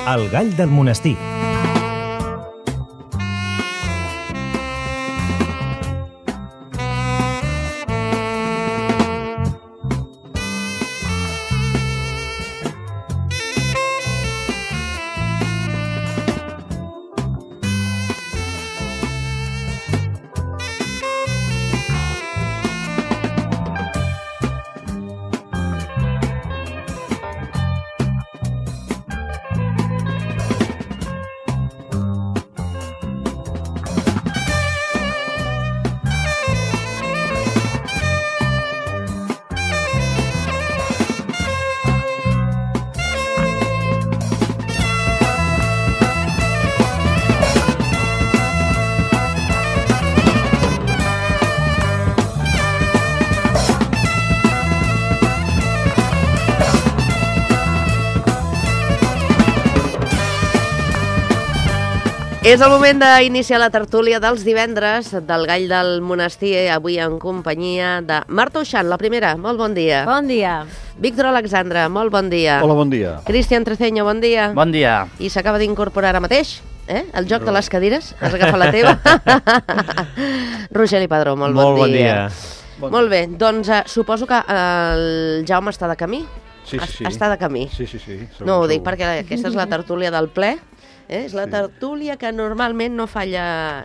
El gall del monestir. És el moment d'iniciar la tertúlia dels divendres del Gall del Monestir, avui en companyia de Marta Uixant, la primera, molt bon dia. Bon dia. Víctor Alexandre, molt bon dia. Hola, bon dia. Cristian Treceño, bon dia. Bon dia. I s'acaba d'incorporar ara mateix, el joc de les cadires, has agafat la teva. Rogeri Padró, molt bon dia. Molt bé, doncs suposo que el Jaume està de camí? Sí. Està de camí. Sí. No ho dic perquè aquesta és la tertúlia del ple. És la tertúlia que normalment no falla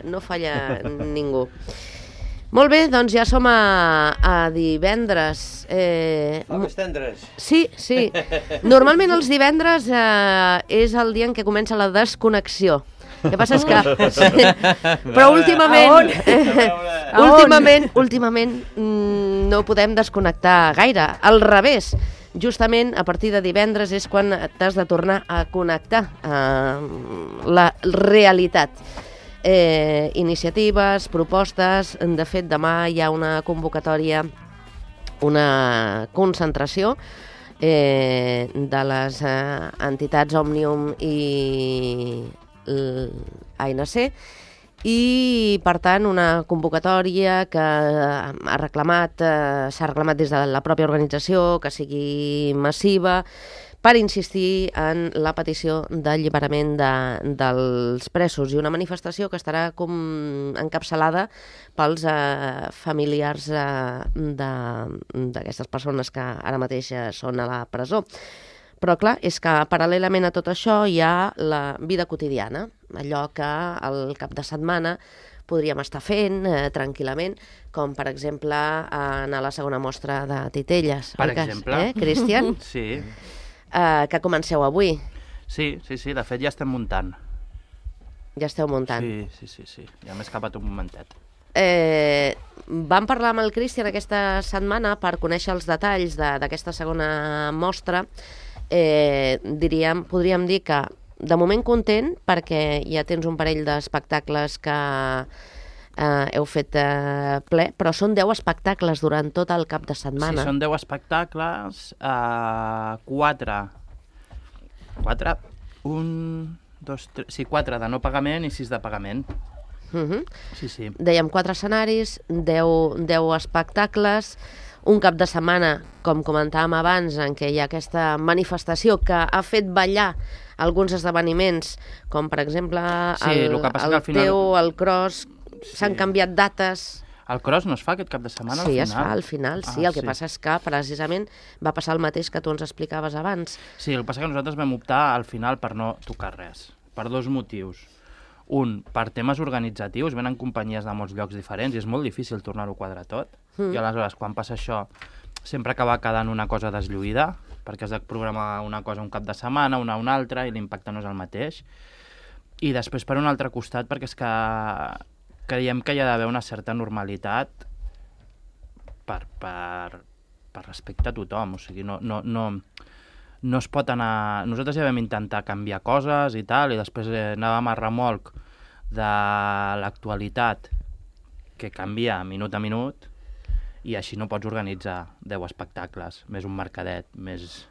ningú. Molt bé, doncs ja som a divendres. Fa més tendres. Sí. Normalment els divendres és el dia en què comença la desconnexió. El que passa és que... Però últimament no podem desconnectar gaire. Al revés. Justament a partir de divendres és quan t'has de tornar a connectar amb la realitat. Iniciatives, propostes, de fet demà hi ha una convocatòria, una concentració de les entitats Òmnium i l'ANC, i per tant una convocatòria que s'ha reclamat des de la pròpia organització que sigui massiva per insistir en la petició d'alliberament dels presos, i una manifestació que estarà encapçalada pels familiars d'aquestes persones que ara mateix són a la presó. Però clar, és que paral·lelament a tot això hi ha la vida quotidiana, allò que al cap de setmana podríem estar fent tranquil·lament, com per exemple anar a la segona mostra de titelles. Per exemple. Cristian? Sí. Que comenceu avui. Sí, de fet ja estem muntant. Ja esteu muntant. Sí, ja m'he escapat un momentet. Vam parlar amb el Cristian aquesta setmana per conèixer els detalls d'aquesta segona mostra. Podríem dir que de moment content perquè ja tens un parell d'espectacles que heu fet ple, però són 10 espectacles durant tot el cap de setmana. Sí, són 10 espectacles, 4 de no pagament i 6 de pagament. Sí. Dèiem 4 escenaris, 10 espectacles, un cap de setmana, com comentàvem abans, en què hi ha aquesta manifestació que ha fet ballar alguns esdeveniments, com per exemple el Cross, s'han canviat dates. El Cross no es fa aquest cap de setmana al final? Sí, es fa al final, sí. El que passa és que precisament va passar el mateix que tu ens explicaves abans. Sí, el que passa és que nosaltres vam optar al final per no tocar res, per 2 motius. Un, per temes organitzatius, venen companyies de molts llocs diferents i és molt difícil tornar-ho a quadrar tot. I aleshores, quan passa això, sempre acaba quedant una cosa deslluïda, perquè has de programar una cosa un cap de setmana, una altra, i l'impacte no és el mateix. I després, per un altre costat, perquè és que creiem que hi ha d'haver una certa normalitat per respecte a tothom. O sigui, no es pot anar... Nosaltres ja vam intentar canviar coses i tal, i després anàvem a remolc de l'actualitat que canvia minut a minut, i així no pots organitzar 10 espectacles, més un mercadet, més...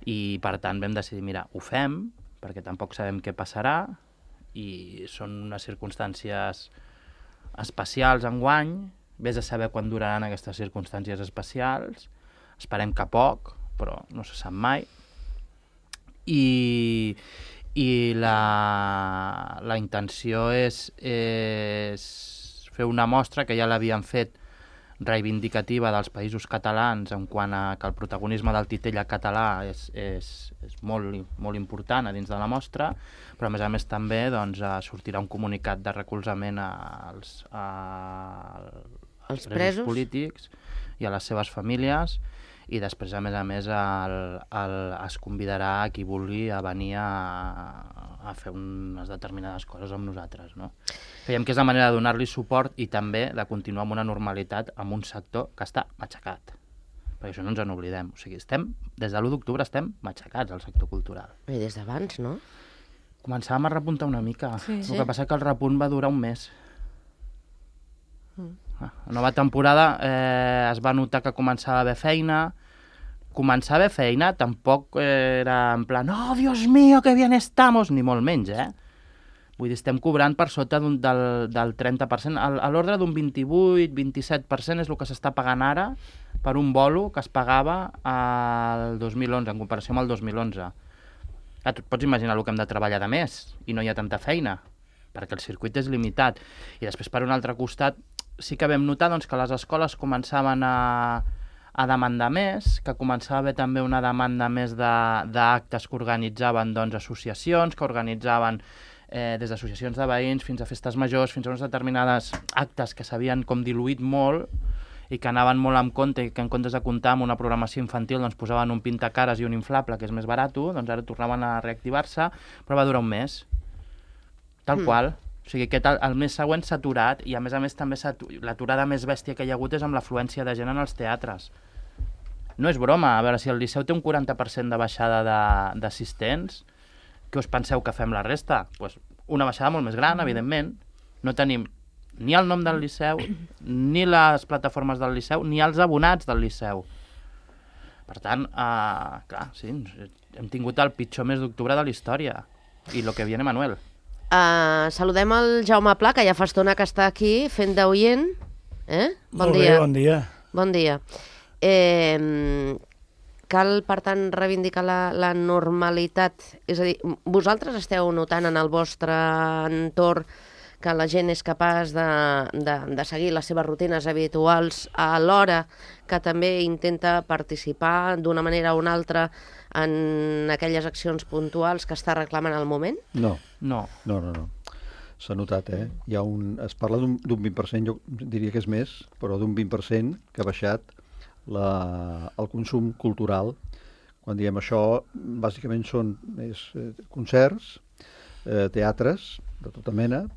I per tant vam decidir, mira, ho fem, perquè tampoc sabem què passarà, i són unes circumstàncies especials enguany, vés a saber quan duraran aquestes circumstàncies especials, esperem que poc, però no se sap mai, i la intenció és fer una mostra que ja l'havien fet reivindicativa dels països catalans en quant a que el protagonisme del titella català és molt important a dins de la mostra, però a més també doncs, sortirà un comunicat de recolzament als presos polítics i a les seves famílies, i després a més es convidarà a qui vulgui a venir a fer unes determinades coses amb nosaltres, no? Creiem que és la manera de donar-li suport i també de continuar amb una normalitat amb un sector que està matxacat, perquè això no ens en oblidem. O sigui, des de l'1 d'octubre estem matxacats al sector cultural. I des d'abans, no? Començàvem a repuntar una mica. Sí. El que passa és que el repunt va durar un mes. La nova temporada es va notar que començava a haver feina. Començar a haver feina tampoc era en plan «Oh, Dios mío, que bien estamos!» ni molt menys, Vull dir, estem cobrant per sota del 30%. A l'ordre d'un 28-27% és el que s'està pagant ara per un bolo que es pagava al 2011, en comparació amb el 2011. Tu et pots imaginar el que hem de treballar de més i no hi ha tanta feina, perquè el circuit és limitat. I després, per un altre costat, sí que vam notar doncs, que les escoles començaven a demandar més, que començava a haver també una demanda més d'actes que organitzaven doncs, associacions, que organitzaven des d'associacions de veïns fins a festes majors, fins a uns determinades actes que s'havien com diluït molt i que anaven molt en compte i que en comptes de comptar amb una programació infantil doncs posaven un pintacares i un inflable que és més barat, doncs ara tornaven a reactivar-se, però va durar un mes. Tal qual. O sigui, el mes següent s'ha aturat i a més també l'aturada més bèstia que hi ha hagut és amb l'afluència de gent en els teatres. No és broma, a veure, si el Liceu té un 40% de baixada d'assistents, què us penseu que fem la resta? Pues una baixada molt més gran, evidentment. No tenim ni el nom del Liceu, ni les plataformes del Liceu, ni els abonats del Liceu. Per tant, clar, sí, hem tingut el pitjor mes d'octubre de la història. I lo que viene, Manuel. Saludem el Jaume Pla, que ja fa estona que està aquí fent d'oient. Bon dia. Bon dia. Bon dia. Cal, per tant, reivindicar la normalitat. És a dir, vosaltres esteu notant en el vostre entorn que la gent és capaç de seguir les seves rutines habituals alhora que també intenta participar d'una manera o una altra en aquelles accions puntuals que està reclamant al moment? No. S'ha notat, es parla d'un 20%, jo diria que és més, però d'un 20% que ha baixat el consum cultural. Quan diem això, bàsicament són concerts, teatres de tota mena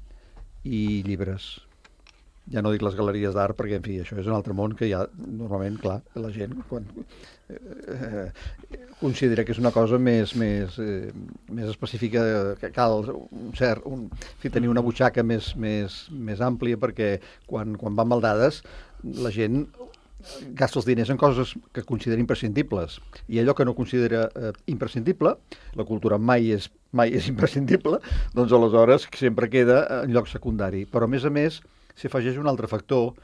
i llibres. Ja no dic les galeries d'art perquè, en fi, això és un altre món que ja, normalment, clar, la gent quan considera que és una cosa més específica, que cal tenir una butxaca més àmplia, perquè quan van mal dades la gent gasta els diners en coses que considera imprescindibles, i allò que no considera imprescindible, la cultura mai és imprescindible, doncs aleshores sempre queda en lloc secundari. Però a més s'hi afegeix un altre factor.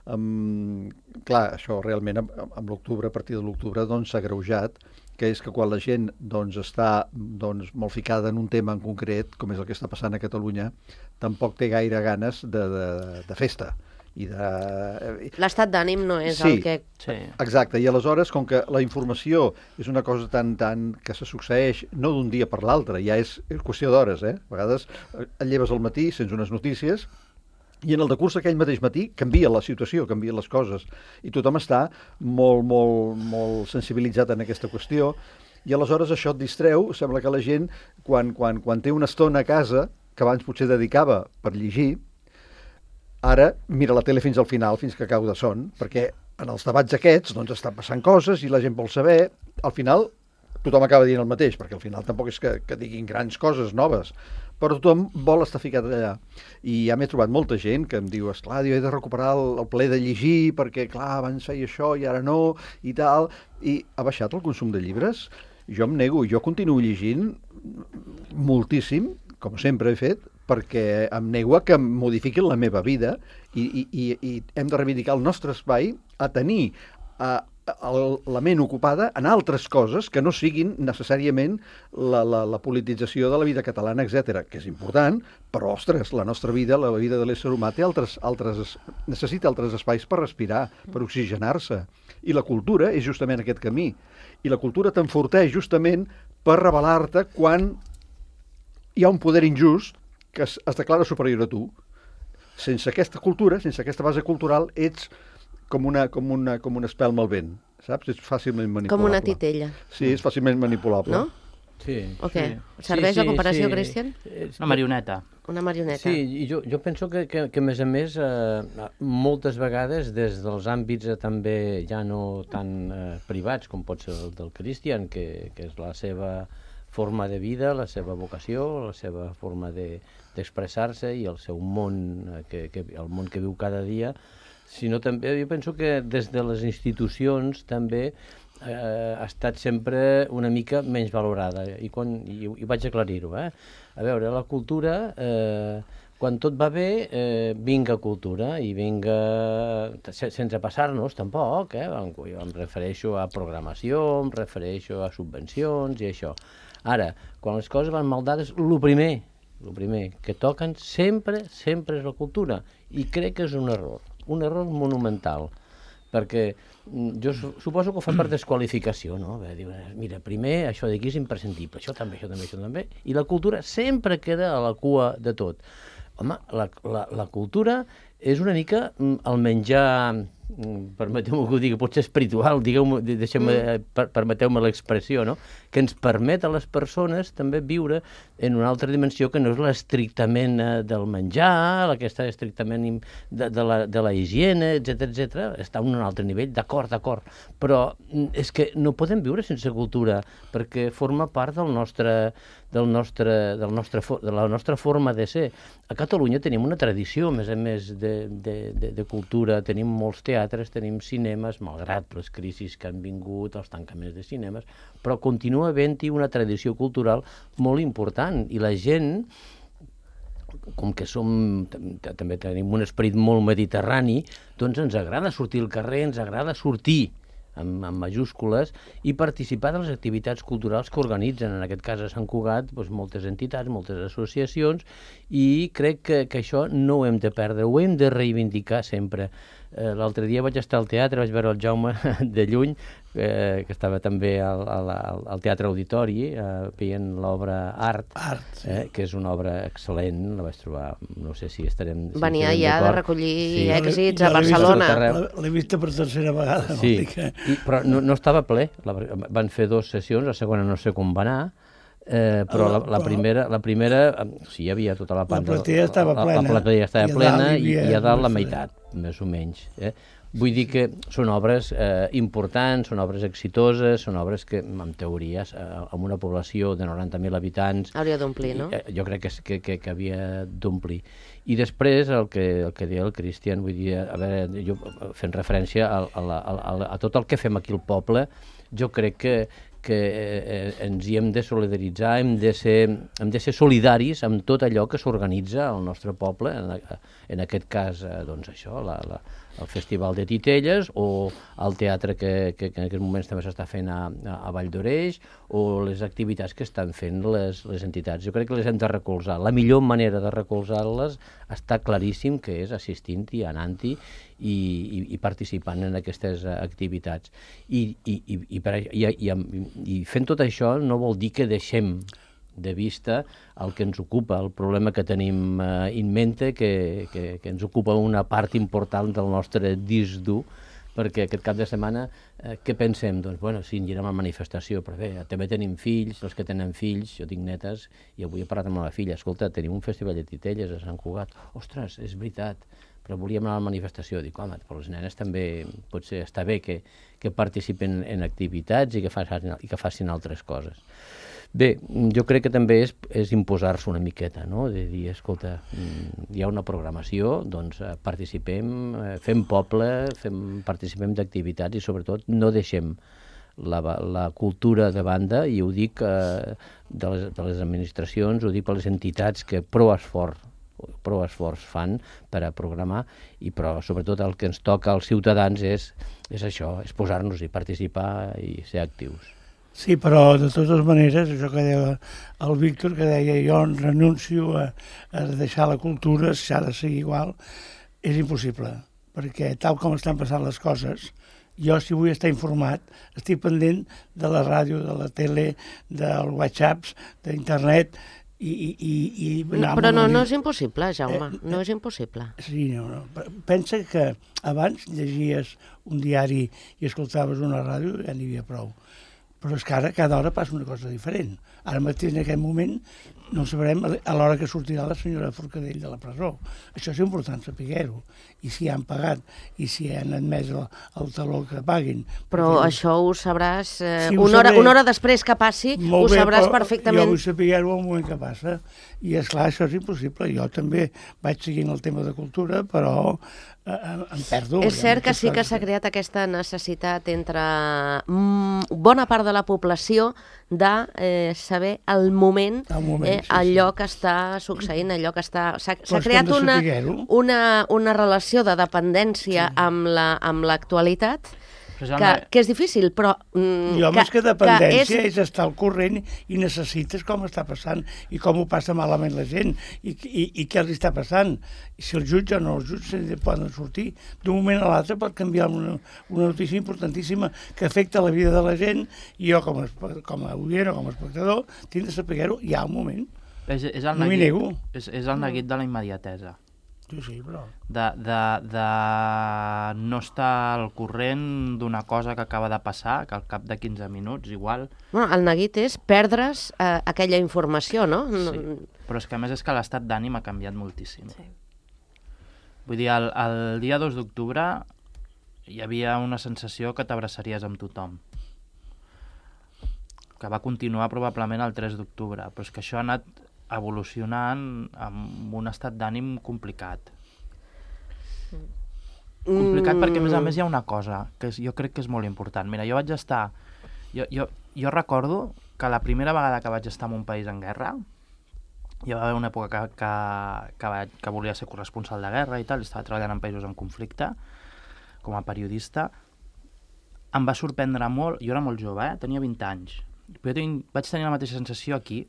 Clar, això realment amb l'octubre, a partir de l'octubre, doncs s'ha agreujat, que és que quan la gent està molt ficada en un tema en concret, com és el que està passant a Catalunya, tampoc té gaire ganes de festa. L'estat d'ànim no és el que... Sí, exacte, i aleshores, com que la informació és una cosa tan que se succeeix no d'un dia per l'altre, ja és qüestió d'hores, A vegades et lleves al matí, sents unes notícies, i en el decurs aquell mateix matí canvia la situació, canvien les coses, i tothom està molt sensibilitzat en aquesta qüestió, i aleshores això et distreu. Sembla que la gent, quan té una estona a casa, que abans potser dedicava per llegir, ara mira la tele fins al final, fins que cau de son, perquè en els debats aquests estan passant coses i la gent vol saber. Al final tothom acaba dient el mateix, perquè al final tampoc és que diguin grans coses noves, però tothom vol estar ficat allà. I ja m'he trobat molta gent que em diu, esclar, he de recuperar el plaer de llegir, perquè clar, abans feia això i ara no, i tal, i ha baixat el consum de llibres. Jo em nego, jo continuo llegint moltíssim, com sempre he fet, perquè em nego a que em modifiquin la meva vida i hem de reivindicar el nostre espai a tenir la ment ocupada en altres coses que no siguin necessàriament la politització de la vida catalana, etc, que és important, però, ostres, la nostra vida, la vida de l'ésser humà, necessita altres espais per respirar, per oxigenar-se. I la cultura és justament aquest camí. I la cultura t'enforteix justament per rebel·lar-te quan hi ha un poder injust que es declara superior a tu. Sense aquesta cultura, sense aquesta base cultural, ets com una espelma al vent, saps? És fàcilment manipulable. Com una titella. Sí, és fàcilment manipulable. No? Sí. O què? Serveix la comparació, Cristian? Una marioneta. Una marioneta. Sí, i jo penso que a més a més, moltes vegades, des dels àmbits també ja no tan privats com pot ser el del Cristian, que és la seva forma de vida, la seva vocació, la seva forma d'expressar-se i el seu món, el món que viu cada dia, sinó també jo penso que des de les institucions també ha estat sempre una mica menys valorada, i vaig aclarir-ho. A veure, la cultura, quan tot va bé, vinga cultura, i vinga, sense passar-nos tampoc, em refereixo a programació, em refereixo a subvencions i això. Ara, quan les coses van mal dades, el primer que toquen sempre és la cultura, i crec que és un error monumental, perquè jo suposo que ho fan per desqualificació, no? Diu, mira, primer això d'aquí és imprescindible, això també, i la cultura sempre queda a la cua de tot. Home, la cultura és una mica el menjar, permeteu-me que ho digui, potser espiritual, permeteu-me l'expressió, no? Que ens permet a les persones també viure en una altra dimensió que no és l'estrictament del menjar, aquesta estrictament de la higiene, etc. Està a un altre nivell, d'acord, però és que no podem viure sense cultura, perquè forma part de la nostra forma de ser. A Catalunya tenim una tradició, a més de cultura, tenim molts teatres, tenim cinemes, malgrat les crisis que han vingut, els tancaments de cinemes, però continua havent-hi una tradició cultural molt important, i la gent, com que també tenim un esperit molt mediterrani, doncs ens agrada sortir al carrer, ens agrada sortir amb majúscules i participar de les activitats culturals que organitzen, en aquest cas a Sant Cugat, moltes entitats, moltes associacions, i crec que això no ho hem de perdre, ho hem de reivindicar sempre. L'altre dia vaig estar al teatre, vaig veure el Jaume de lluny, que estava també al Teatre Auditori, veient l'obra Art, que és una obra excel·lent, la vaig trobar, no sé si estarem... Venia ja de recollir èxits a Barcelona. L'he vista per tercera vegada. Sí, però no estava ple, van fer 2 sessions, la segona no sé com va anar, però la primera sí, hi havia tota la planta. La platea estava plena. La platea estava plena i a dalt la meitat, més o menys. Vull dir que són obres importants, són obres exitoses, són obres que, en teoria, amb una població de 90.000 habitants... Hauria d'omplir, no? Jo crec que havia d'omplir. I després, el que deia el Cristian, vull dir, a veure, jo fent referència a tot el que fem aquí al poble, jo crec que ens hi hem de solidaritzar, hem de ser solidaris amb tot allò que s'organitza al nostre poble, en aquest cas, doncs això, el Festival de Titelles, o el teatre que en aquests moments també s'està fent a Vall d'Oreix, o les activitats que estan fent les entitats. Jo crec que les hem de recolzar. La millor manera de recolzar-les està claríssim que és assistint-hi, anant-hi i participant en aquestes activitats. I fent tot això no vol dir que deixem de vista el que ens ocupa, el problema que tenim in mente, que ens ocupa una part important del nostre disc dur, perquè aquest cap de setmana, què pensem? Doncs, bueno, sí, anirem a la manifestació, però bé, també tenim fills, els que tenen fills, jo tinc netes, i avui he parlat amb la meva filla, escolta, tenim un festival de titelles a Sant Cugat, ostres, és veritat, però volíem anar a la manifestació. Dic, home, però les nenes també potser està bé que participen en activitats i que facin altres coses. Bé, jo crec que també és imposar-se una miqueta, no? De dir, escolta, hi ha una programació, doncs participem, fem poble, participem d'activitats i sobretot no deixem la cultura de banda, i ho dic de les administracions, ho dic per les entitats que prou esforç prou esforç fan per a programar, però sobretot el que ens toca als ciutadans és això, és posar-nos i participar i ser actius. Sí, però de totes maneres, això que deia el Víctor, que deia jo renuncio a deixar la cultura, s'ha de seguir igual, és impossible, perquè tal com estan passant les coses, jo si vull estar informat, estic pendent de la ràdio, de la tele, dels whatsapps, d'internet, però no és impossible, Jaume, no és impossible. Sí, no. Pensa que abans llegies un diari i escoltaves una ràdio, ja n'hi havia prou. Però és que ara cada hora passa una cosa diferent. Ara mateix, en aquest moment, no sabrem a l'hora que sortirà la senyora Forcadell de la presó. Això és important saber-ho. I si han pagat, i si han admès el taló que paguin. Però això ho sabràs una hora després que passi, ho sabràs perfectament. Jo vull saber-ho al moment que passa. I, esclar, això és impossible. Jo també vaig seguint el tema de cultura, però em perdo. És cert que sí que s'ha creat aquesta necessitat entre bona part de la població de saber el moment, allò que està succeint, allò que està... S'ha creat una relació de dependència amb l'actualitat que és difícil, però... Més que dependència és estar al corrent i necessites com està passant i com ho passa malament la gent i què els està passant. I si el jutge o no els jutges poden sortir, d'un moment a l'altre pot canviar una notícia importantíssima que afecta la vida de la gent i jo com a oient o com a espectador tinc de saber-ho ja al moment. No m'hi nego. És el neguit de la immediatesa. Sí, però... de no estar al corrent d'una cosa que acaba de passar, que al cap de 15 minuts, igual... Bueno, el neguit és perdre's aquella informació, no? Sí, però és que a més és que l'estat d'ànim ha canviat moltíssim. Sí. Vull dir, el dia 2 d'octubre hi havia una sensació que t'abraçaries amb tothom, que va continuar probablement el 3 d'octubre, però és que això ha anat evolucionant amb un estat d'ànim complicat. Complicat perquè, a més, hi ha una cosa que jo crec que és molt important. Mira, jo vaig estar... Jo recordo que la primera vegada que vaig estar en un país en guerra, hi va haver una època que volia ser corresponsal de guerra i tal, i estava treballant en països en conflicte, com a periodista. Em va sorprendre molt, jo era molt jove, tenia 20 anys, però jo vaig tenir la mateixa sensació aquí,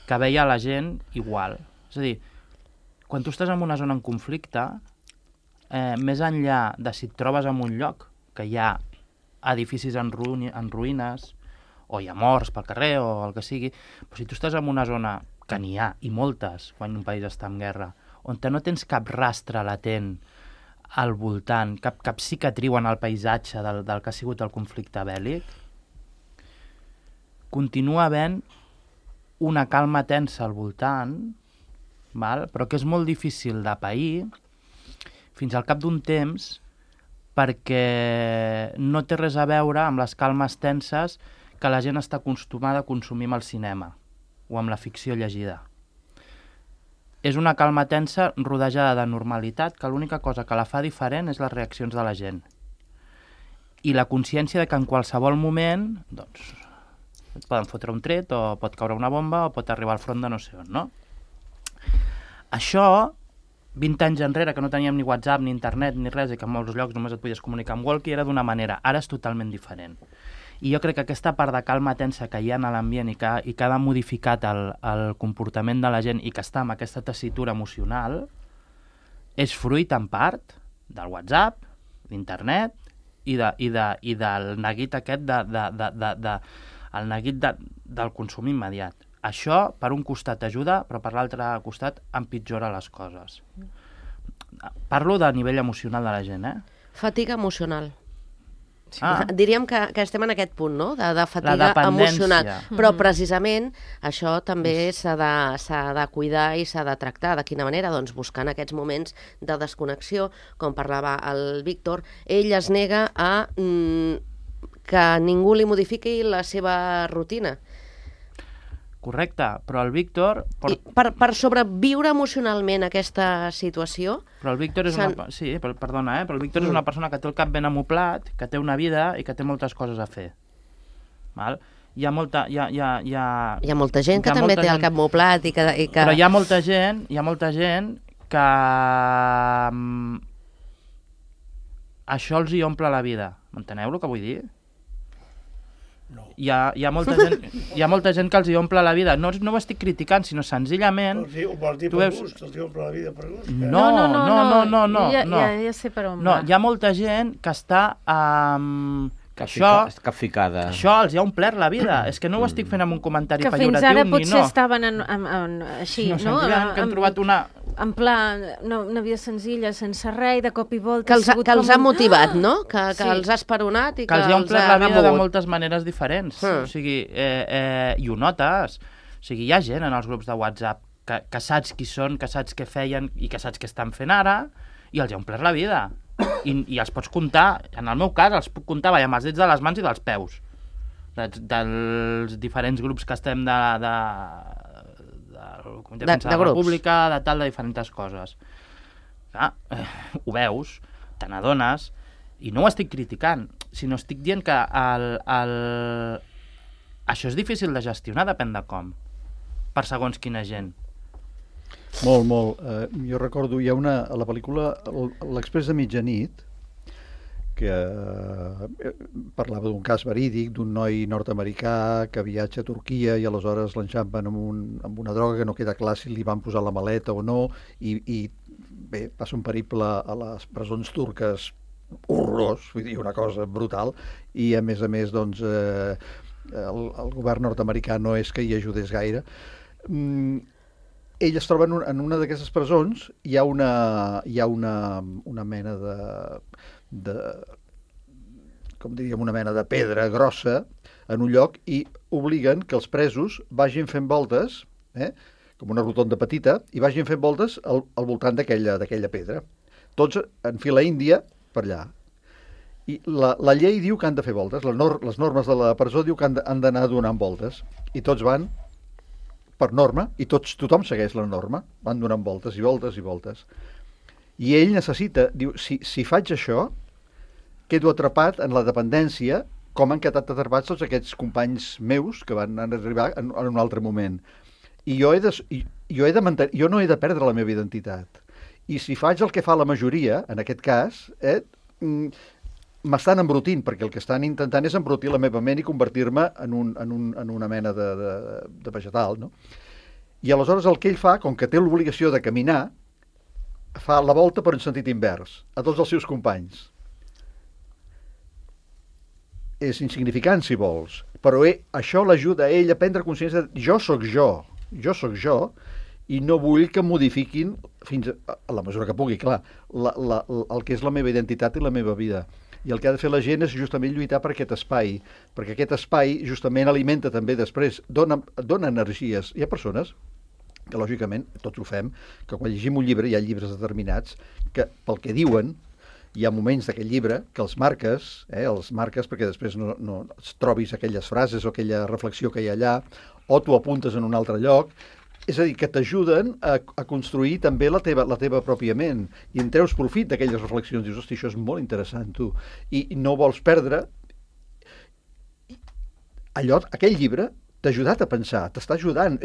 que veia la gent igual. És a dir, quan tu estàs en una zona en conflicte, més enllà de si et trobes en un lloc que hi ha edificis en ruïnes, o hi ha morts pel carrer, o el que sigui, però si tu estàs en una zona, que n'hi ha, i moltes, quan un país està en guerra, on no tens cap rastre latent al voltant, cap cicatriu en el paisatge del que ha sigut el conflicte bèl·lic, continua havent una calma tensa al voltant, però que és molt difícil de pair fins al cap d'un temps perquè no té res a veure amb les calmes tenses que la gent està acostumada a consumir amb el cinema o amb la ficció llegida. És una calma tensa rodejada de normalitat que l'única cosa que la fa diferent és les reaccions de la gent. I la consciència de que en qualsevol moment, doncs, et poden fotre un tret, o pot caure una bomba, o pot arribar al front de no sé on, no? Això, 20 anys enrere, que no teníem ni WhatsApp, ni internet, ni res, i que en molts llocs només et podies comunicar amb walkie, era d'una manera. Ara és totalment diferent. I jo crec que aquesta part de calma tensa que hi ha a l'ambient i que ha modificat el comportament de la gent i que està amb aquesta tessitura emocional, és fruit, en part, del WhatsApp, d'internet i del neguit aquest el neguit del consum immediat. Això, per un costat, ajuda, però per l'altre costat empitjora les coses. Parlo de nivell emocional de la gent, Fatiga emocional. Sí. Diríem que estem en aquest punt, no?, de fatiga emocional. Però precisament això també s'ha de cuidar i s'ha de tractar. De quina manera? Doncs buscant aquests moments de desconnexió, com parlava el Víctor. Ell es nega a que ningú li modifiqui la seva rutina. Correcte, però el Víctor... Per sobreviure emocionalment aquesta situació... Però el Víctor és una... Sí, perdona, però el Víctor és una persona que té el cap ben amoplat, que té una vida i que té moltes coses a fer. Val? hi ha molta gent que també té el cap molt plat i que... Però hi ha molta gent que això els hi omple la vida. M'enteneu el que vull dir? No. Hi ha molta gent que els hi omple la vida. No ho estic criticant, sinó senzillament... Ho vols dir per gust? Els hi omple la vida per gust? No. Ja sé per on va. No, hi ha molta gent que està... Això els ha omplert la vida. És que no ho estic fent amb un comentari pejoratiu ni no. Que fins ara potser estaven així, no? Que han trobat una... En pla, una vida senzilla, sense res, de cop i volta... Que els ha motivat, no? Que els ha esperonat i que els ha omplert la vida de moltes maneres diferents. O sigui, i ho notes. O sigui, hi ha gent en els grups de WhatsApp que saps qui són, que saps què feien i que saps què estan fent ara, i els ha omplert la vida. I els pots comptar, en el meu cas, els puc comptar amb els dits de les mans i dels peus. Dels diferents grups que estem de Comitè de Defensa de la República, de diferents coses. Ho veus, te n'adones, i no ho estic criticant, sinó estic dient que això és difícil de gestionar, depèn de com, per segons quina gent. Molt. Jo recordo, hi ha a la pel·lícula L'Exprés de mitjanit, que parlava d'un cas verídic, d'un noi nord-americà que viatja a Turquia i aleshores l'enxampen amb una droga que no queda clar si li van posar la maleta o no, i bé, passa un periple a les presons turques horrorós, vull dir, una cosa brutal, i a més, doncs, el govern nord-americà no és que hi ajudés gaire. Ell es troba en una d'aquestes presons, hi ha una mena com diríem, una mena de pedra grossa en un lloc, i obliguen que els presos vagin fent voltes, com una rotonda petita, i vagin fent voltes al voltant d'aquella pedra. Tots en fila índia per allà. I la llei diu que han de fer voltes, les normes de la presó diu que han d'anar donant voltes, i tots van per norma, i tothom segueix la norma, van donant voltes i voltes i voltes. I ell necessita, diu, si faig això, quedo atrapat en la dependència, com han quedat atrapats tots aquests companys meus que van arribar en un altre moment. I jo no he de perdre la meva identitat. I si faig el que fa la majoria, en aquest cas, m'estan embrutint, perquè el que estan intentant és embrutir la meva ment i convertir-me en una mena de vegetal, no? I aleshores el que ell fa, com que té l'obligació de caminar, fa la volta per un sentit invers, a tots els seus companys. És insignificant, si vols, però això l'ajuda a ell a prendre consciència de jo sóc jo, i no vull que modifiquin, fins a la mesura que pugui, clar, el que és la meva identitat i la meva vida. I el que ha de fer la gent és justament lluitar per aquest espai, perquè aquest espai justament alimenta també després, dona energies. Hi ha persones que, lògicament, tots ho fem, que quan llegim un llibre, hi ha llibres determinats, que pel que diuen, hi ha moments d'aquest llibre que els marques perquè després no trobis aquelles frases o aquella reflexió que hi ha allà, o t'ho apuntes en un altre lloc. És a dir, que t'ajuden a construir també la teva pròpia ment, i en treus profit d'aquelles reflexions. Dius, hosti, això és molt interessant, tu. I no vols perdre allò. Aquell llibre t'ha ajudat a pensar, t'està ajudant,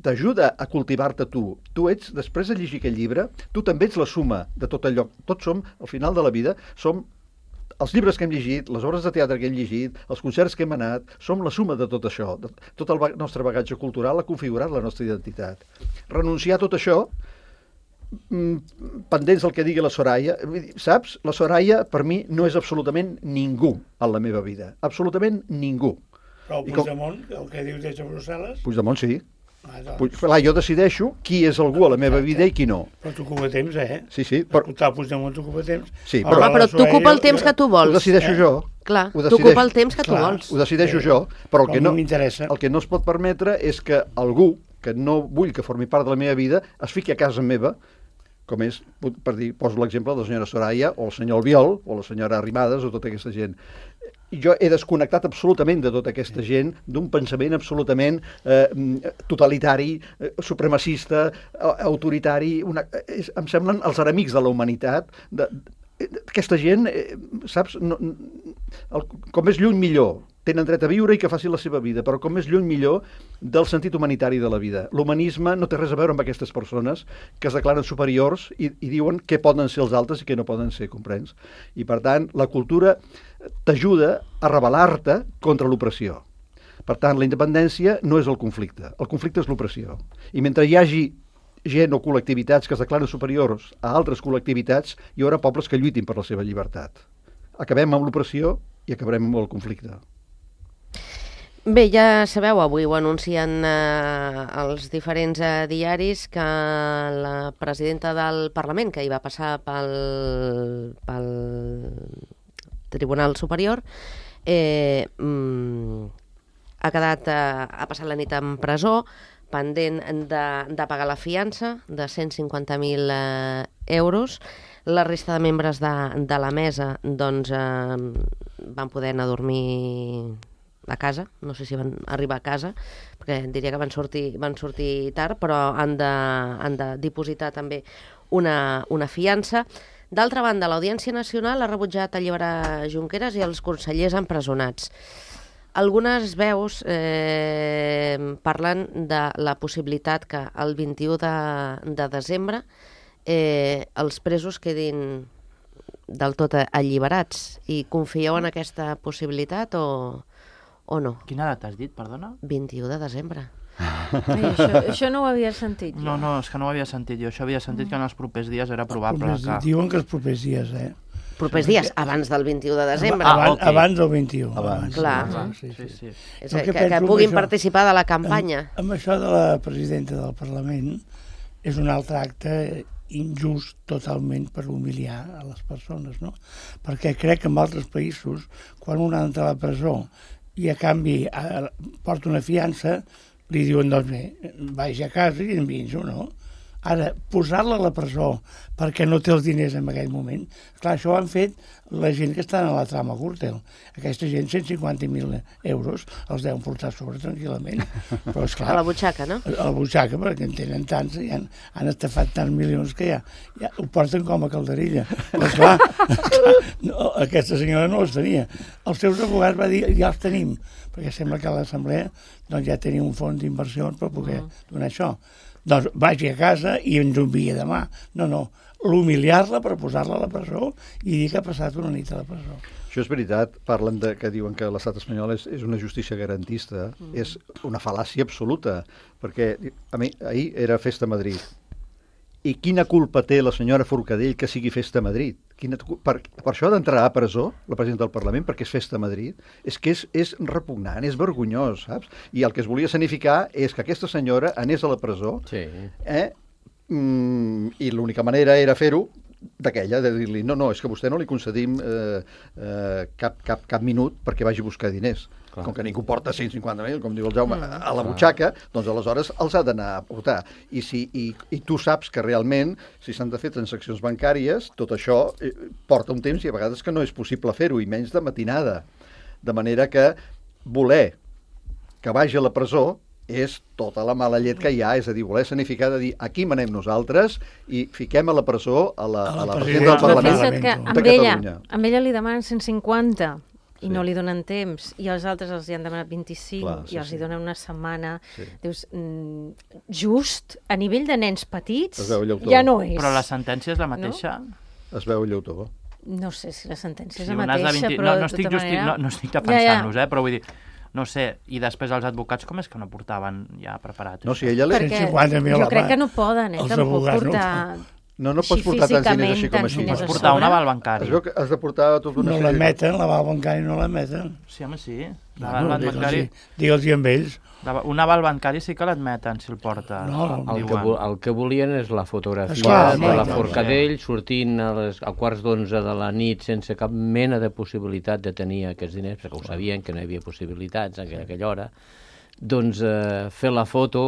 t'ajuda a cultivar-te tu. Tu ets, després de llegir aquell llibre, tu també ets la suma de tot allò. Tots som, al final de la vida, som els llibres que hem llegit, les obres de teatre que hem llegit, els concerts que hem anat, som la suma de tot això. Tot el nostre bagatge cultural ha configurat la nostra identitat. Renunciar a tot això, pendents del que digui la Soraya, saps? La Soraya, per mi, no és absolutament ningú en la meva vida. Absolutament ningú. Però el Puigdemont, el que dius des de Brussel·les... Puigdemont, sí. Clar, jo decideixo qui és algú a la meva vida i qui no. Però t'ocupa temps, Sí. Escoltar el Puigdemont t'ocupa temps. Sí, però t'ocupa el temps que tu vols. Ho decideixo jo. Clar, t'ocupa el temps que tu vols. Ho decideixo jo, però el que no es pot permetre és que algú que no vull que formi part de la meva vida es fiqui a casa meva, com és, per dir, poso l'exemple de la senyora Soraya o el senyor Albiol o la senyora Arrimadas o tota aquesta gent. Jo he desconnectat absolutament de tota aquesta gent, d'un pensament absolutament totalitari, supremacista, autoritari. Em semblen els enemics de la humanitat. Aquesta gent, saps, com més lluny millor. tenen dret a viure i que facin la seva vida, però com més lluny millor del sentit humanitari de la vida. L'humanisme no té res a veure amb aquestes persones que es declaren superiors i diuen què poden ser els altres i què no poden ser, comprens? I per tant, la cultura t'ajuda a rebel·lar-te contra l'opressió. Per tant, la independència no és el conflicte és l'opressió. I mentre hi hagi gent o col·lectivitats que es declaren superiors a altres col·lectivitats, hi haurà pobles que lluitin per la seva llibertat. Acabem amb l'opressió i acabarem amb el conflicte. Bé, ja sabeu, avui ho anuncien els diferents diaris que la presidenta del Parlament, que hi va passar pel Tribunal Superior, ha passat la nit en presó, pendent de pagar la fiança de 150.000 euros. La resta de membres de la mesa doncs, van poder anar a dormir a casa, no sé si van arribar a casa, perquè diria que van sortir tard, però han de dipositar també una fiança. D'altra banda, l'Audiència Nacional ha rebutjat alliberar Junqueras i els consellers empresonats. Algunes veus parlen de la possibilitat que el 21 de desembre els presos quedin del tot alliberats. I confieu en aquesta possibilitat o no? Quina data has dit, perdona? 21 de desembre. Això no ho havia sentit. No, és que no ho havia sentit jo. Això havia sentit que en els propers dies era probable que... Diuen que els propers dies, Propers dies, abans del 21 de desembre. Okay. Abans del 21. Clar. Sí. És que puguin participar de la campanya. Amb això de la presidenta del Parlament és un altre acte injust totalment per humiliar a les persones, no? Perquè crec que en altres països, quan un entra a la presó i a canvi porta una fiança, li diuen, doncs bé, vagi a casa i enviïns-ho, no? Ara, posar-la a la presó perquè no té els diners en aquell moment, clar, això ho han fet la gent que està a la trama Gürtel. Aquesta gent, 150.000 euros, els deuen portar sobre tranquil·lament. Però, esclar, a la butxaca, no? A la butxaca, perquè en tenen tants, i han estafat tants milions que ja ho porten com a calderilla. Però, esclar, no, aquesta senyora no els tenia. Els seus advocats va dir, ja els tenim, perquè sembla que a l'Assemblea doncs, ja tenia un fons d'inversió per poder donar això. Doncs vagi a casa i ens ho envia demà. No, l'humiliar-la per posar-la a la presó i dir que ha passat una nit a la presó. Això és veritat, parlen que diuen que l'estat espanyol és una justícia garantista. És una fal·làcia absoluta, perquè ahir era festa a Madrid. I quina culpa té la senyora Forcadell que sigui festa a Madrid? Per això ha d'entrar a presó la presidenta del Parlament perquè és festa a Madrid? És que és repugnant, és vergonyós, saps? I el que es volia escenificar és que aquesta senyora anés a la presó i l'única manera era fer-ho d'aquella, de dir-li, no, és que vostè no li concedim cap minut perquè vagi a buscar diners. Clar. Com que ningú porta 150.000, com diu el Jaume, a la butxaca, doncs aleshores els ha d'anar a portar. I tu saps que realment, si s'han de fer transaccions bancàries, tot això porta un temps i a vegades que no és possible fer-ho, i menys de matinada. De manera que voler que vagi a la presó és tota la mala llet que hi ha, és a dir, voler escenificar de dir aquí manem nosaltres i fiquem a la presó a la presidenta del Parlament de Catalunya. Amb ella li demanen 150 i no li donen temps, i els altres els hi han demanat 25 i els hi donen una setmana. Dius, just a nivell de nens petits ja no és. Però la sentència és la mateixa? Es veu lleutó. No sé si la sentència és la mateixa, però no estic defensant-los, però vull dir, no sé, i després els advocats com és que no portaven ja preparat? No, si ella... Perquè jo crec que no poden, tampoc portar... No pots portar tants diners així com així. Pots portar un aval bancari. Es veu que has de portar tota una sèrie... No l'emeten, l'aval bancari no l'emeten. Sí, home, sí. L'aval bancari... Digue'ls-hi amb ells. Un aval bancari sí que l'admeten, si el porta. El que volien és la fotografia de la Forcadell sortint a quarts d'11 de la nit sense cap mena de possibilitat de tenir aquests diners, perquè ho sabien que no hi havia possibilitats a aquella hora. Doncs fer la foto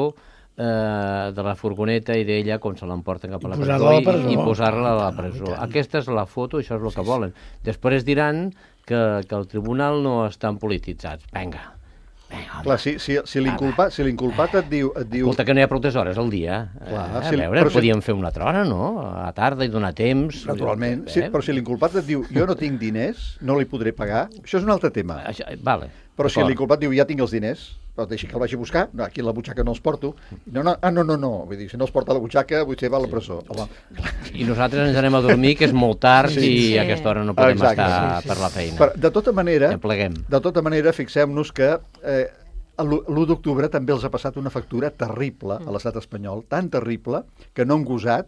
de la furgoneta i d'ella com se l'emporten cap a la presó i posar-la a la presó. Aquesta és la foto, això és el que volen. Després diran que el tribunal no estan polititzats. Vinga. Clar, si l'inculpat et diu... Escolta, que no hi ha prou hores al dia. A veure, podíem fer una altra hora, no? A la tarda i donar temps. Naturalment, però si l'inculpat et diu jo no tinc diners, no li podré pagar, això és un altre tema. Vale. Però si l'inculpat diu, ja tinc els diners, però deixi que el vagi a buscar, no, aquí a la butxaca no els porto. No, vull dir, si no els porta a la butxaca, potser va a la presó. Home. I nosaltres ens anem a dormir, que és molt tard, i a aquesta hora no podem estar per la feina. Però, de tota manera, fixem-nos que l'1 d'octubre també els ha passat una factura terrible a l'estat espanyol, tan terrible que no han gosat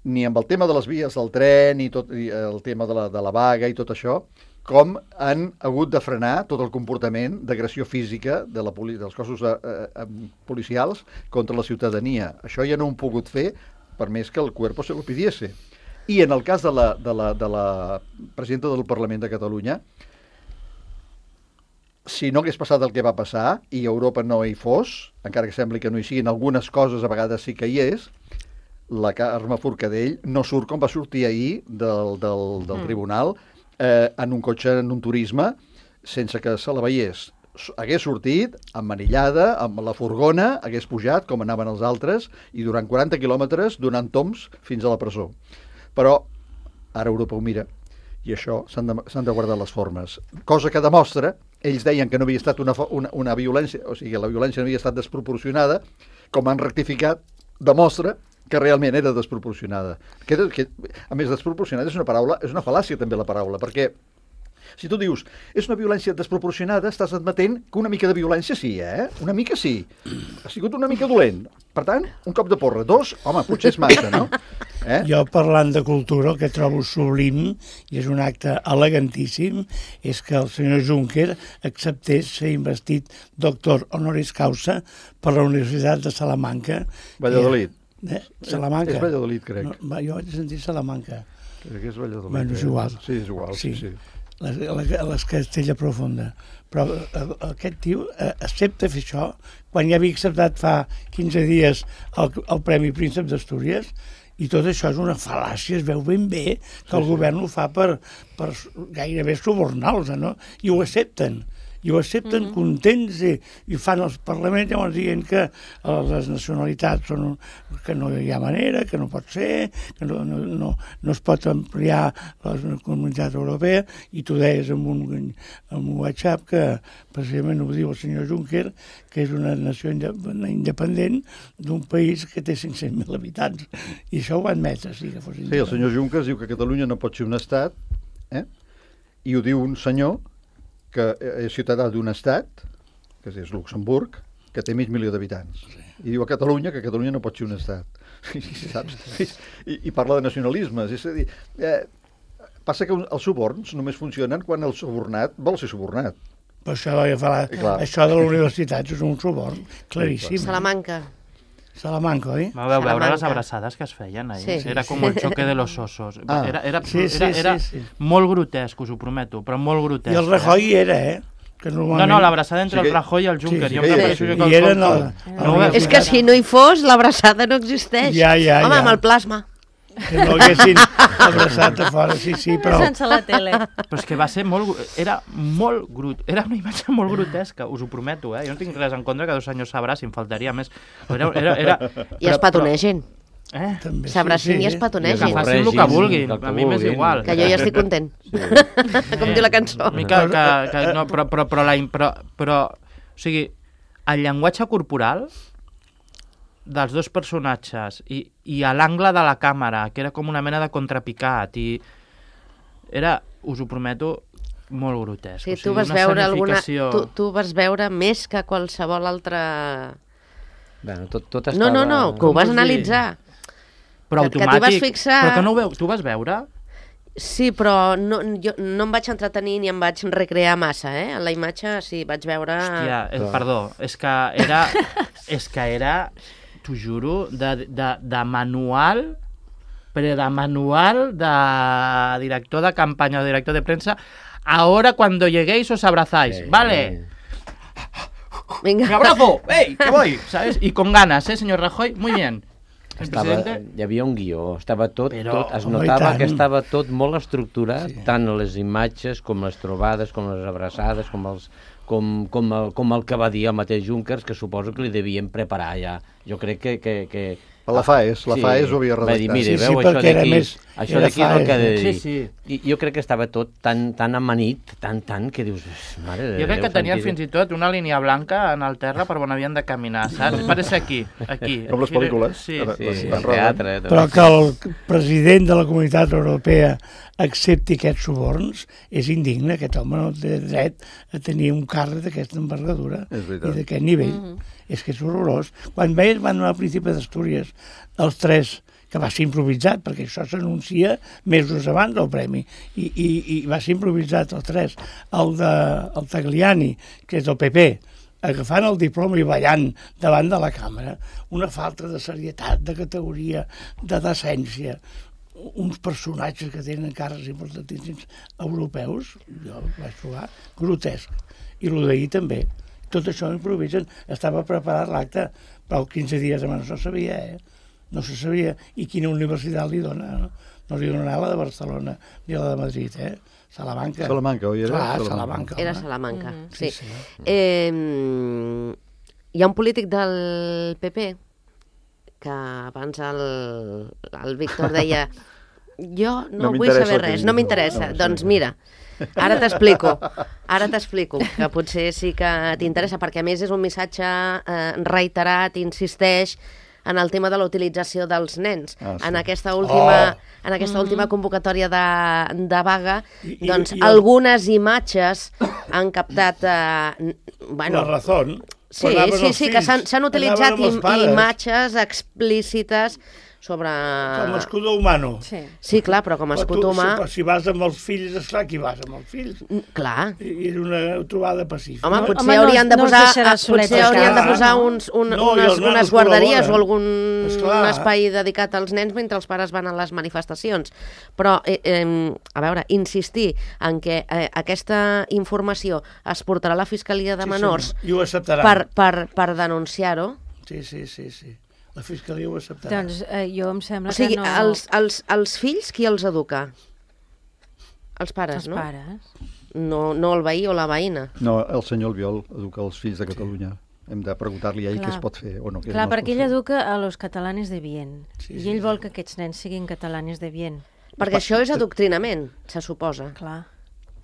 ni amb el tema de les vies del tren i el tema de la vaga i tot això, com han hagut de frenar tot el comportament d'agressió física dels cossos policials contra la ciutadania. Això ja no ho han pogut fer, per més que el cuerpo se lo pidiese. I en el cas de la presidenta del Parlament de Catalunya, si no hagués passat el que va passar, i a Europa no hi fos, encara que sembli que no hi siguin algunes coses, a vegades sí que hi és, la Carme Forcadell no surt com va sortir ahir del tribunal, en un cotxe, en un turisme, sense que se la veiés. Hagués sortit emmanillada, amb la furgona, hagués pujat, com anaven els altres, i durant 40 quilòmetres donant tombs fins a la presó. Però ara Europa ho mira, i això s'han de guardar les formes. Cosa que demostra, ells deien que no havia estat una violència, o sigui, la violència no havia estat desproporcionada, com han rectificat, demostra que realment era desproporcionada. A més, desproporcionada és una fal·làcia també la paraula, perquè si tu dius és una violència desproporcionada, estàs admetent que una mica de violència sí, Una mica sí. Ha sigut una mica dolent. Per tant, un cop de porra, 2, home, potser és massa, no? Jo, parlant de cultura, el que trobo sublim, i és un acte elegantíssim, és que el senyor Juncker acceptés ser investit doctor honoris causa per la Universitat de Salamanca. Valladolid. Salamanca. És Valladolid, crec. No, jo vaig sentir Salamanca. Crec que és Valladolid. Bueno, és igual. Sí, és igual, sí. Les Castella Profunda. Però aquest tio accepta fer això quan ja havia acceptat fa 15 dies el Premi Príncep d'Astúries, i tot això és una fal·làcia, es veu ben bé que el govern ho fa per gairebé subornar-los, no? I ho accepten contents i fan els parlaments llavors dient que les nacionalitats són que no hi ha manera, que no pot ser, que no es pot ampliar la comunitat europea, i tu deies en un WhatsApp que precisament ho diu el senyor Juncker, que és una nació independent d'un país que té 500.000 habitants, i això ho va admetre. Sí, el senyor Juncker diu que Catalunya no pot ser un estat, i ho diu un senyor que és ciutadà d'un estat, que és Luxemburg, que té mig milió d'habitants. I diu a Catalunya que Catalunya no pot ser un estat. Saps? I parla de nacionalismes. És a dir, passa que els suborns només funcionen quan el subornat vol ser subornat. Però això de la universitat és un suborn claríssim. Salamanca, oi? Vau veure les abraçades que es feien ahir. Sí. Era com el xoque de los osos. Era molt grotesc, us ho prometo, però molt grotesc. I el Rajoy hi era, Que normalment... No, l'abraçada entre el Rajoy i el Juncker. És que si no hi fos, l'abraçada no existeix. Home, amb el plasma. Que no haguessin abraçat a fora, sí, però... Sense la tele. Però és que va ser era una imatge molt grotesca, us ho prometo, Jo no tinc res en contra que 2 senyors s'abracin, faltaria més. I es petonegin. S'abracin i es petonegin. Que facin el que vulguin, a mi m'és igual. Que jo ja estic content. Com diu la cançó. Però, o sigui, el llenguatge corporal dels dos personatges i a l'angle de la càmera, que era com una mena de contrapicat, i era, us ho prometo, molt grotesc. Sí, tu vas veure tu vas veure més que qualsevol altre... Bueno, tot estava... No, que ho vas analitzar. Però automàtic. Que t'hi vas fixar. Però que no ho veus, tu vas veure? Sí, però jo no em vaig entretenir ni em vaig recrear massa, En la imatge sí, vaig veure... Hòstia, perdó, és que era, t'ho juro, de manual, però de manual de director de campanya o director de premsa. Ahora cuando lleguéis os abrazáis, ¿vale? Venga. ¡Me abrazo! ¡Ey, que voy! ¿Sabes? Y con ganas, señor Rajoy, muy bien. Hi havia un guió, estava tot, es notava que estava tot molt estructurat, tant les imatges com les trobades, com les abraçades, com el que va dir el mateix Juncker, que suposo que li devien preparar ja. Jo crec que La FAES ho havia redactat. Va dir, mire, veu, això d'aquí és el que ha de dir. I jo crec que estava tot tan amanit, tant, que dius, mare de Déu. Jo crec que tenia fins i tot una línia blanca en el terra per on havien de caminar, saps? Pareix aquí. Com les pel·lícules. Sí. Teatre. Però que el president de la Comunitat Europea accepti aquests suborns és indigne. Aquest home no té dret a tenir un càrrec d'aquesta envergadura i d'aquest nivell. És que és horrorós. Quan van anar al Príncipe d'Astúries, els tres, que va ser improvisat, perquè això s'anuncia mesos abans del premi, i va ser improvisat els tres, el Tagliani, que és del PP, agafant el diploma i ballant davant de la càmera, una falta de serietat, de categoria, de decència, uns personatges que tenen càrrecs importantíssims europeus, jo el vaig trobar grotesc, i el d'ahir també. Tot això improvisen. Estava preparat l'acte, però 15 dies abans no se sabia, no se sabia. I quina universitat li dona? No li donarà la de Barcelona ni la de Madrid, Salamanca. Salamanca, oi? Clar, Salamanca. Era Salamanca, sí. Sí. Hi ha un polític del PP que abans el Víctor deia jo no vull saber res, no m'interessa. Doncs mira, ara t'explico, que potser sí que t'interessa, perquè a més és un missatge reiterat, insisteix en el tema de la utilització dels nens. En aquesta última convocatòria de vaga, doncs algunes imatges han captat... La Razón. Sí, que s'han utilitzat imatges explícites sobre... Com a escudo humano. Sí, clar, però com a escut humà... Però si vas amb els fills, esclar que hi vas amb els fills. Clar. I és una trobada pacífica. Home, potser haurien de posar unes guarderies o algun espai dedicat als nens mentre els pares van a les manifestacions. Però, a veure, insistir en que aquesta informació es portarà a la Fiscalia de Menors per denunciar-ho... Sí. La Fiscalia ho acceptarà. Doncs jo em sembla que no... O sigui, els fills, qui els educa? Els pares, no? Els pares. No el veí o la veïna. No, el senyor Albiol educa els fills de Catalunya. Hem de preguntar-li a ell què es pot fer o no. Clar, perquè ell educa a los catalanes de bien. I ell vol que aquests nens siguin catalanes de bien. Perquè això és adoctrinament, se suposa. Clar.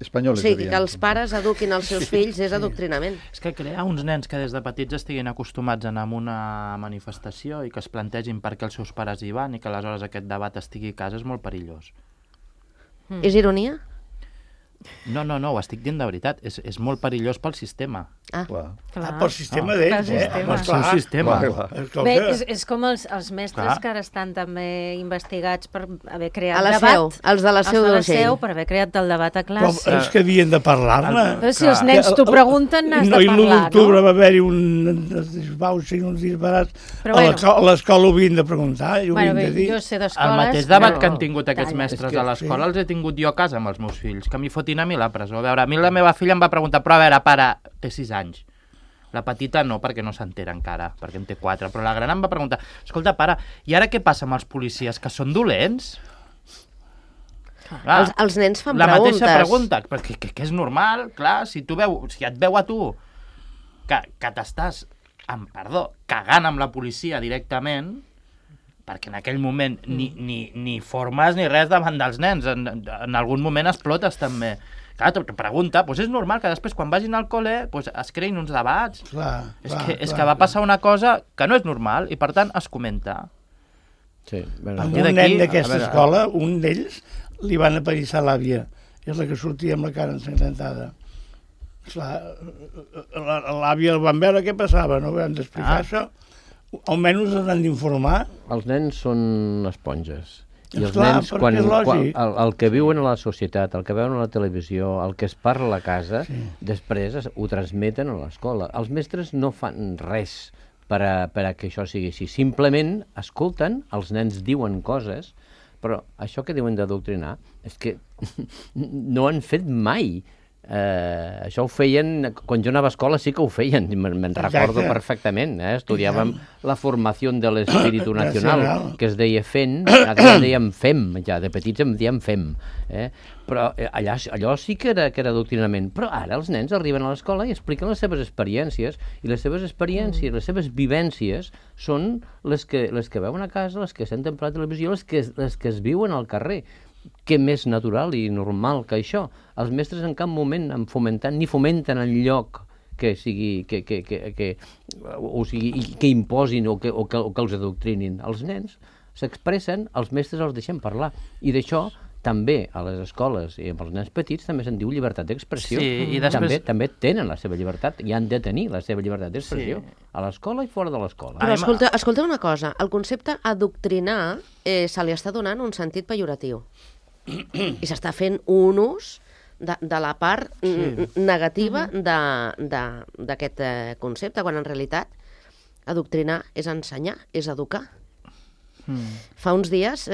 Espanyoles, o sigui, que els pares eduquin els seus fills és adoctrinament. És que crear uns nens que des de petits estiguin acostumats a anar a una manifestació i que es plantegin per què els seus pares hi van i que aleshores aquest debat estigui a casa és molt perillós. És ironia? No, ho estic dient de veritat. És molt perillós pel sistema. Pel sistema d'ells, Pel seu sistema. Bé, és com els mestres que ara estan també investigats per haver creat debat. Els de la Seu d'Urgell. Per haver creat el debat a classe. Però és que havien de parlar-ne. Però si els nens t'ho pregunten, n'has de parlar, no? I l'1 d'octubre va haver-hi uns disbarats. A l'escola ho havien de preguntar, ho havien de dir. Jo sé d'escoles... El mateix debat que han tingut aquests mestres a l'escola els he tingut jo a casa amb els meus fills, que m'hi fotin a mi la presó. A veure, a mi la meva filla em va preguntar, però a veure, pare, té 6 anys. La petita no, perquè no s'entera encara, perquè en té 4, però la gran em va preguntar, escolta, pare, i ara què passa amb els policies, que són dolents? Clar, els nens fan la preguntes. La mateixa pregunta, perquè que és normal, clar, si et veu a tu que t'estàs, amb perdó, cagant amb la policia directament, perquè en aquell moment ni formes ni res davant dels nens, en algun moment explotes també. Clar, te pregunta, doncs és normal que després quan vagin al col·le es creïn uns debats. És que va passar una cosa que no és normal i per tant es comenta. Sí, amb un nen d'aquesta escola, un d'ells li van apallissar l'àvia, és la que sortia amb la cara ensangrentada. L'àvia el van veure què passava, no van d'explicar això. Almenys els han d'informar. Els nens són esponges. I els nens, el que viuen a la societat, el que veuen a la televisió, el que es parla a la casa, després ho transmeten a l'escola. Els mestres no fan res per a que això sigui així. Simplement escolten, els nens diuen coses, però això que diuen d'adoctrinar és que no han fet mai Això ho feien, quan jo anava a escola sí que ho feien, me'n recordo perfectament, estudiàvem la formació de l'espíritu nacional, que es deia FEN, ara ja dèiem FEM, ja de petits em dèiem FEM, però allò sí que era adoctrinament, però ara els nens arriben a l'escola i expliquen les seves experiències, i les seves experiències, les seves vivències són les que veuen a casa, les que senten per la televisió, les que es viuen al carrer. Què més natural i normal que això? Els mestres en cap moment han fomentat ni fomenten en lloc que sigui que imposin o que els adoctrinin. Els nens s'expressen, els mestres els deixen parlar, i d'això també a les escoles i amb els nens petits també se'n diu llibertat d'expressió. Sí, i després... també tenen la seva llibertat i han de tenir la seva llibertat d'expressió a l'escola i fora de l'escola. Però escolta una cosa, el concepte adoctrinar se li està donant un sentit pejoratiu i s'està fent un ús de la part negativa d'aquest concepte, quan en realitat adoctrinar és ensenyar, és educar. Fa uns dies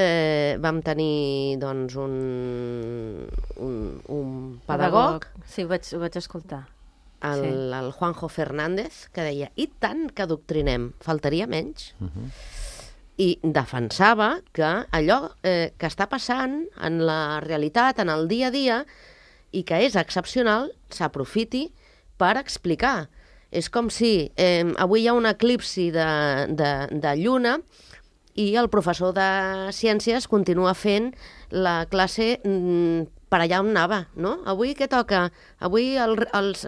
vam tenir doncs, un pedagog. Sí, ho vaig escoltar. El Juanjo Fernández, que deia, i tant que adoctrinem, faltaria menys. I defensava que allò que està passant en la realitat, en el dia a dia, i que és excepcional, s'aprofiti per explicar. És com si avui hi ha un eclipsi de lluna i el professor de ciències continua fent la classe per allà on anava, no? Avui què toca? Avui els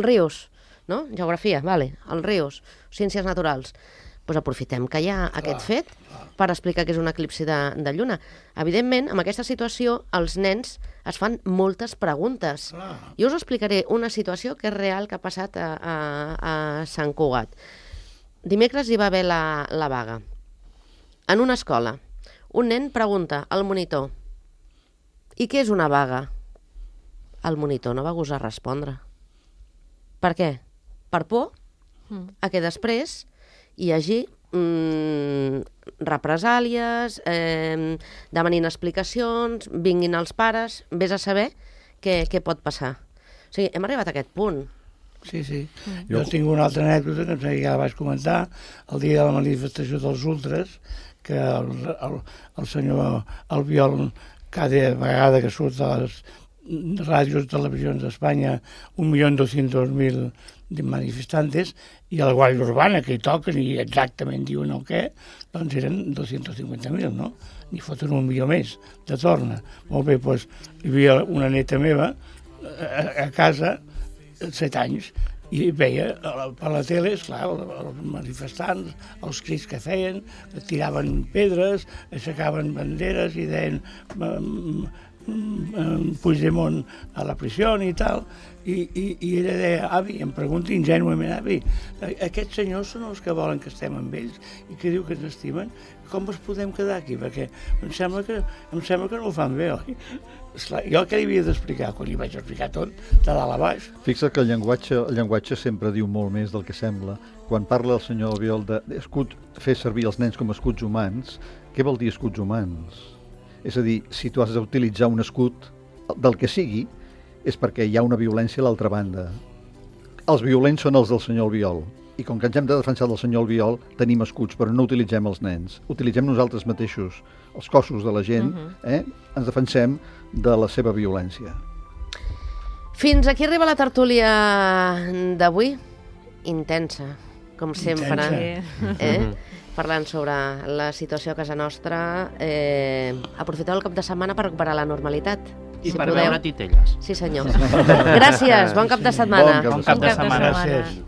rius, no? Geografia, vale, els rius, ciències naturals. Doncs aprofitem que hi ha aquest fet per explicar que és un eclipsi de lluna. Evidentment, en aquesta situació, els nens es fan moltes preguntes. Jo us explicaré una situació que és real, que ha passat a Sant Cugat. Dimecres hi va haver la vaga. En una escola, un nen pregunta al monitor: i què és una vaga? El monitor no va gosar respondre. Per què? Per por a que després hi hagi represàlies, demanin explicacions, vinguin els pares, vés a saber què pot passar. O sigui, hem arribat a aquest punt. Sí. Jo tinc una altra anècdota que ja la vaig comentar, el dia de la manifestació dels ultres, que el senyor Albiol, cada vegada que surt a les ràdios i televisions d'Espanya, 1.200.000 manifestantes, i a la Guàrdia Urbana, que hi toquen i exactament diuen el què, doncs eren 250.000, no? N'hi foten 1.000.000 més de torna. Molt bé, doncs hi havia una neta meva a casa, 7 anys, i veia per la tele, esclar, els manifestants, els crits que feien, tiraven pedres, aixecaven banderes i deien Puigdemont a la prisió i tal, i ella deia, avi, em pregunta ingenuament, avi, aquests senyors són els que volen que estem amb ells i que diu que ens estimen, com ens podem quedar aquí? Perquè em sembla que no ho fan bé, oi? Esclar, jo què li havia d'explicar? Quan li vaig explicar tot, de dalt a baix. Fixa't que el llenguatge sempre diu molt més del que sembla. Quan parla el senyor Albiol de fer servir els nens com a escuts humans, què vol dir escuts humans? És a dir, si tu has d'utilitzar un escut del que sigui, és perquè hi ha una violència a l'altra banda. Els violents són els del senyor Albiol, i com que ens hem de defensar del senyor Albiol, tenim escuts, però no utilitzem els nens. Utilitzem nosaltres mateixos, els cossos de la gent, ens defensem de la seva violència. Fins aquí arriba la tertúlia d'avui. Intensa, com sempre. Parlant sobre la situació a casa nostra. Aprofiteu el cap de setmana per recuperar la normalitat. I per veure titelles. Sí, senyor. Gràcies, bon cap de setmana. Bon cap de setmana. Gràcies.